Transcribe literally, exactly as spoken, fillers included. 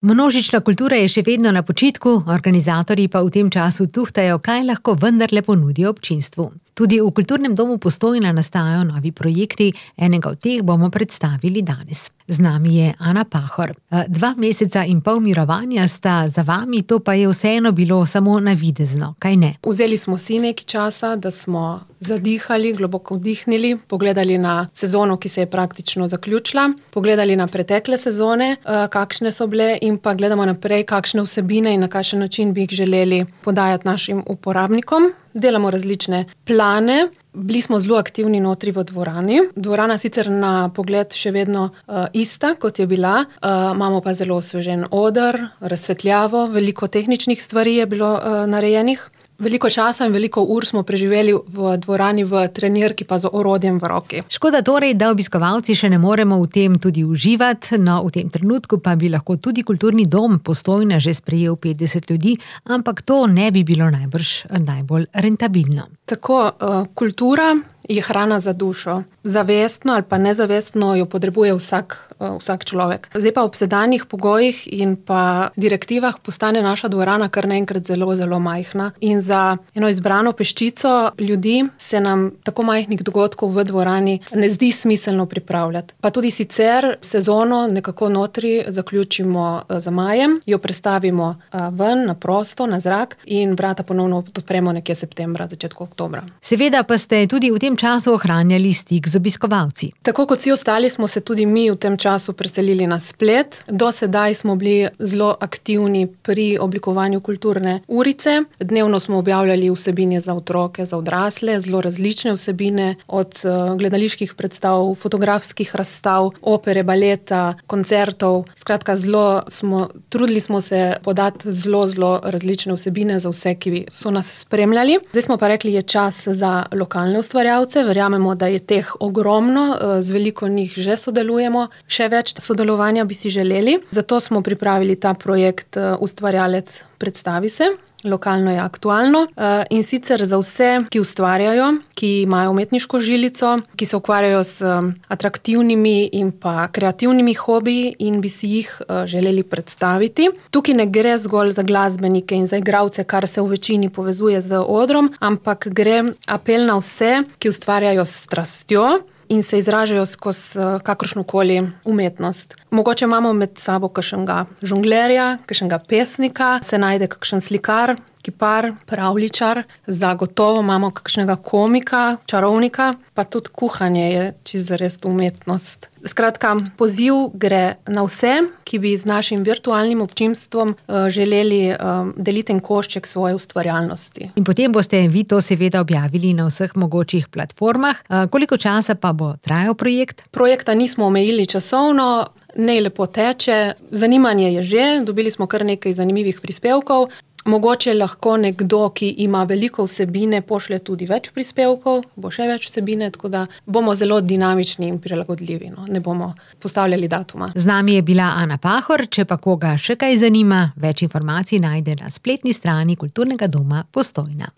Množična kultura je še vedno na počitku, organizatorji pa v tem času tuhtajo, kaj lahko vendarle ponudijo občinstvu. Tudi v Kulturnem domu Postojna nastajajo novi projekti, enega od teh bomo predstavili danes. Z nami je Ana Pahor. Dva meseca in pol mirovanja sta za vami, to pa je vseeno bilo samo navidezno, kaj ne? Vzeli smo si nekaj časa, da smo zadihali, globoko vdihnili, pogledali na sezono, ki se je praktično zaključila, pogledali na pretekle sezone, kakšne so bile, in pa gledamo naprej, kakšne vsebine in na kakšen način bi jih želeli podajati našim uporabnikom. Delamo različne plane. Bili smo zelo aktivni notri v dvorani. Dvorana sicer na pogled še vedno uh, ista, kot je bila. Uh, imamo pa zelo osvežen oder, razsvetljavo, veliko tehničnih stvari je bilo uh, narejenih. Veliko časa in veliko ur smo preživeli v dvorani v trenirki pa z orodjem v roki. Škoda torej, da obiskovalci še ne moremo v tem tudi uživati, no v tem trenutku pa bi lahko tudi Kulturni dom Postojna že sprejel petdeset ljudi, ampak to ne bi bilo najbrž najbolj rentabilno. Tako, uh, kultura je hrana za dušo. Zavestno ali pa nezavestno jo potrebuje vsak, uh, vsak človek. Zdaj pa ob sedanjih pogojih in pa direktivah postane naša dvorana kar naenkrat zelo, zelo majhna. In za eno izbrano peščico ljudi se nam tako majhnih dogodkov v dvorani ne zdi smiselno pripravljati. Pa tudi sicer sezono nekako notri zaključimo uh, za majem, jo prestavimo uh, ven, na prosto, na zrak in vrata ponovno odpremo nekje septembra, začetku oktobra. Seveda pa ste tudi v tem času ohranjali stik z obiskovalci. Tako kot vsi ostali smo se tudi mi v tem času preselili na splet. Do sedaj smo bili zelo aktivni pri oblikovanju kulturne urice. Dnevno smo objavljali vsebine za otroke, za odrasle, zelo različne vsebine, od uh, gledaliških predstav, fotografskih razstav, opere, baleta, koncertov. Skratka, zelo smo, trudili smo se podati zelo, zelo različne vsebine za vse, ki so nas spremljali. Zdaj smo pa rekli, je čas za lokalne ustvarjalce. Verjamemo, da je teh ogromno, z veliko njih že sodelujemo, še več sodelovanja bi si želeli. Zato smo pripravili ta projekt Ustvarjalec predstavi se. Lokalno je aktualno in sicer za vse, ki ustvarjajo, ki imajo umetniško žilico, ki se ukvarjajo s atraktivnimi in pa kreativnimi hobiji in bi si jih želeli predstaviti. Tukaj ne gre zgolj za glasbenike in za igralce, kar se v večini povezuje z odrom, ampak gre apel na vse, ki ustvarjajo s strastjo in se izražajo skozi kakršnokoli umetnost. Mogoče imamo med sabo kakšnega žonglerja, kakšnega pesnika, se najde kakšen slikar, kipar, pravljičar, zagotovo imamo kakšnega komika, čarovnika, pa tudi kuhanje je čisto res umetnost. Skratka, poziv gre na vse, ki bi z našim virtualnim občinstvom uh, želeli uh, deliti en košček svoje ustvarjalnosti. In potem boste vi to seveda objavili na vseh mogočih platformah. Uh, koliko časa pa bo trajal projekt? Projekta nismo omejili časovno, ne lepo teče, zanimanje je že, dobili smo kar nekaj zanimivih prispevkov. Mogoče lahko nekdo, ki ima veliko vsebine, pošlje tudi več prispevkov, bo še več vsebine, tako da bomo zelo dinamični in prilagodljivi, no? Ne bomo postavljali datuma. Z nami je bila Ana Pahor, če pa koga še kaj zanima, več informacij najde na spletni strani Kulturnega doma Postojna.